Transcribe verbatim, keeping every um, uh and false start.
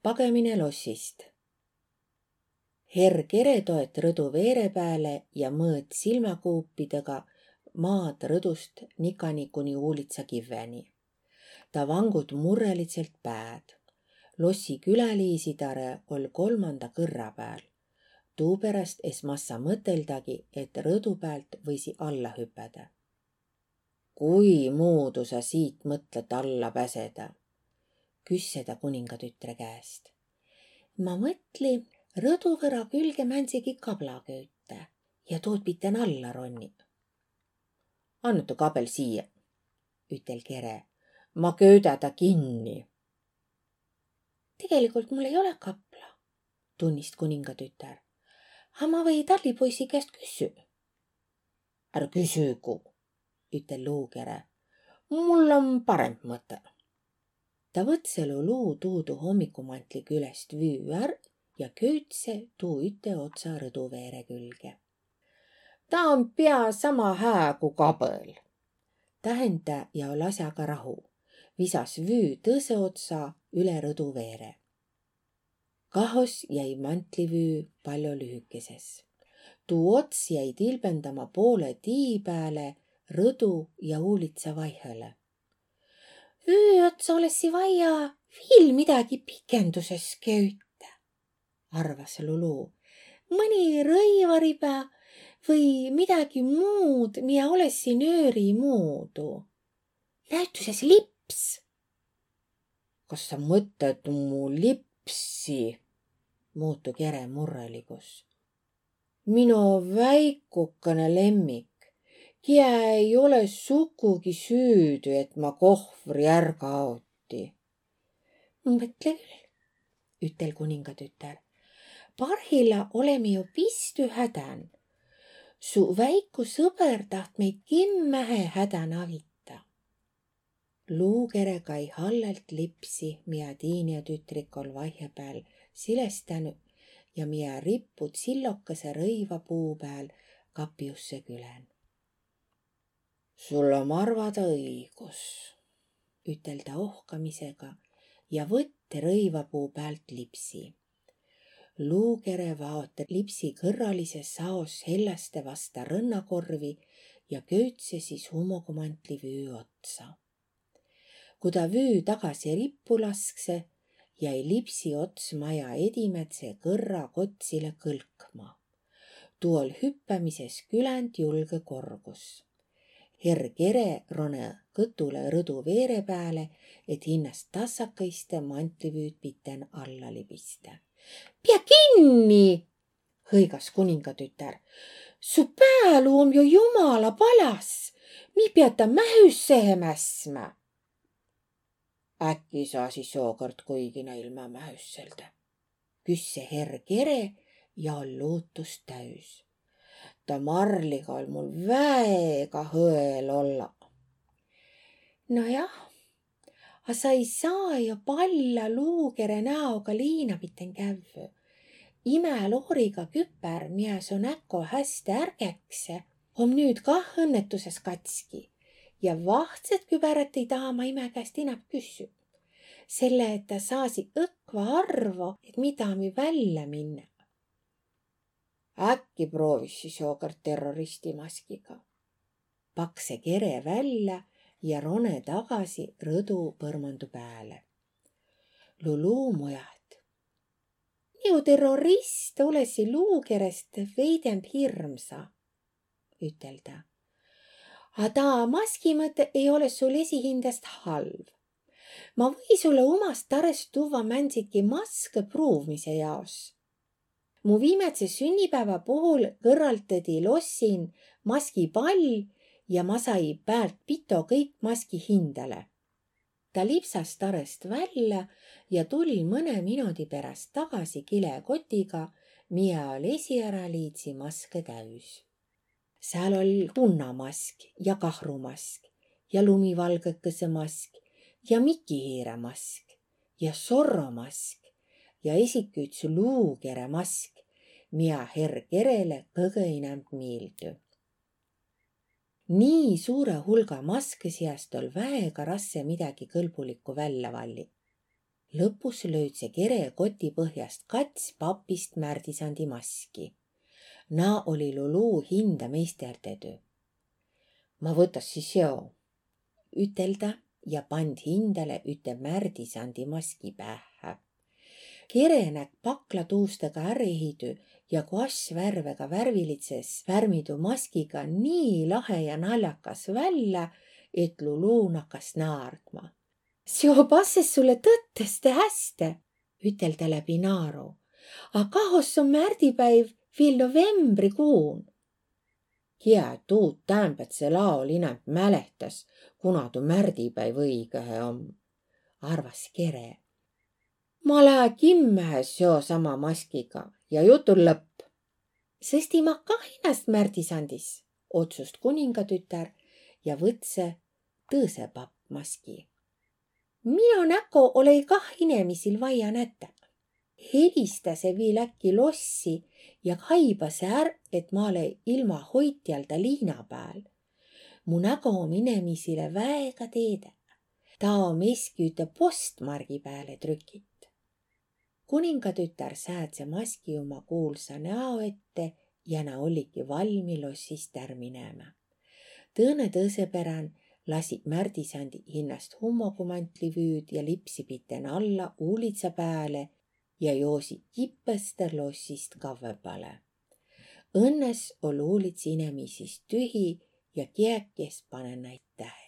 Pagõmine lossist. Herr Kere toet rõdu veere pääle ja mõõt silmäkuupidega maad rõdust nikani kuni uulitsa kivveni. Ta vangut murrelidselt pääd. Lossi küläliisi tarõ oll' kolmanda kõrra pääl. Tuuperäst es massa mõteldagi, et rõdu päält võisi alla hüpädä. Kui muudu sa siit mõtlet alla päsedä? Küsse ta kuningatütre käest. Ma mõtli rõduvõra külge mändsegi kabla küütä ja tuud piten alla ronni. Anna tu kabel siia, ütel Kere. Ma köüdä ta kinni. Tegelikult mul ei ole kapla, tunnist kuningatütär. A ma või tallipoisi käest küssü. Ärr küsügu, ütel Luukere. Mul om paremb mõte. Ta võtselu Luu tuudu hommikumantli külest vüü ärr ja küüdse tuu üte otsa rõduveere külge. Ta om pia sama hää ku kabel. Tähendä ja oll' asjaga rahu. Visas vüü tõsõ otsa üle rõduveere. Kahos jäi mantlivüü paljo lühükeses. Tuu ots jäi tilbendama poolõ tii pääle rõdu ja uulitsa vaihõlõ. Vüü ots olõssi vaia viil midägi pikenduses küütä, arvas Lulu. Mõni rõivaribä või midägi muud, mia olõssi nööri muudu. Näütüses lips. Kas sa mõtlet mu lipsi? Muutu Kere murraligus. Mino väikukõnõ lemmik, kiä ei ole sukugi süüdü, et ma kohvri ärga aoti. Mõtle küll, ütel kuningatütär. Parhilla oleme jo pistü hädän. Su väiku sõber taht meid kimmähe hädän avita. Luukere kai hallalt lipsi, mia tiinjatütrik oll' vaihepääl silestänü ja mia rippu tsillokese rõivapuu pääl kapjusse külän. Sul om arvada õigus, ütel ta ohkamisega ja võtte rõivapuu päält lipsi. Luukere vaote lipsi kõrralises saos helläste vasta rõnnakorvi ja küüdse sis hummogumantlivüü otsa. Ku ta vüü tagasi rippu laskse, jäi lipsi ots maja edimädse kõrra kotsile kõlkma. Tuu oll' hüppämises küländ julgõ korgus. Herr Kere ronõ kõtulõ rõdu veere pääle, et hinnäst tassakõiste mantlivüüd piten alla libistä. Pia kinni! Hõigas kuningatütär. Su pääluu om jo jumala palas. Mi piät ta mähüssehe mässmä. Äkki saasi sookõrd kuigi näilmä mähüsseldä? Küsse herr Kere ja oll' luutust täüs. Ta Marliga oll' mul väega hõel olla. No jah, a sa ei saa jo palla Luukere näoga liina piten kävvü. Imä looriga küpär, mia so näko häste ärgäkse, om nüüt kah õnnetuses katski. Ja vahtsõt kübärät ei taha ma imä käest inämb küssü. Selle, et ta saasi õkva arvo, et midä mi vällä minnä. Äkki proovissi sookõrd terroristi maskiga? Pakse Kere vällä ja rone tagasi rõdu põrmandu pääle. Lulu mujaht. Nigu terrorist olõssi Luukerest veidemb hirmsa, ütel ta. A taa maski mõtte ei olõ sul esihindäst halv. Ma või sullõ umast tarõst tuvva mändsidki maskõ pruuvmise jaos. Mu viimädse sünnipäävä puhul kõrraldõdi lossin maskipall ja ma sai päält pito kõik maski hindäle. Ta lipsas tarõst vällä ja tull' mõnõ minodi peräst tagasi kilekotiga, mia oll' esiaraliidsi maskõ täüs. Sääl oll' punnamask ja kahrumask ja lumivalgõkõsõ mask ja mikihiire mask ja Zorro mask ja esiki üts Luukere mask, mia herr Kerele kõgõ inämb miildü. Nii suurõ hulga maskõ siast oll' väega rasse midägi kõlbulikku vällä valli. Lõpus löüdse Kere koti põhjast kats papist Märdisandi maski. Naa oli Lulú hinda meisterdedü. Ma võta sis seo, ütel ta ja pand hindale üte Märdisandi maski päähhä. Kere näkk pakla tuustega ärehidü ja ku ass värvega värvilidses värmidü maskiga nii lahe ja naljakas vällä, et Lulú nakas naardma. Seo passes sulle tõtteste häste, ütel ta läbi naaru. A kahos om märdipäiv viil novembrikuun. Kiä tuud täämbädsel aol inämb mälehtäs, kuna tu märdipäiv õigõhe om, arvas Kere. Ma lää kimmähe seo sama maskiga ja jutul lõpp. Sõsti ma kah hinnäst Märdisandis, otsust kuningatütär ja võtsõ tõõsõ papp maski. Mino näko olõ-i kah inemisil vaia nätä. Helistäse viil äkki lossi ja kaibase är, et ma lää ilma hoitjalda liina pääl. Mu nägo om inemisile väega teedä. Taa om eski üte postmargi pääle trükit. Kuningatütär säädse maski uma kuulsa näo ette ja na olligi valmi lossist är minemä. Tõõnõ tõõsõ perän lasi Märdisandi hinnäst hummogumantli vüüd ja lipsi piten alla uulidsa pääle ja joosi kipõstõ lossist kavvõbale. Õnnes oll' uulits inemisist tühi ja kiäki es panõ naid tähele.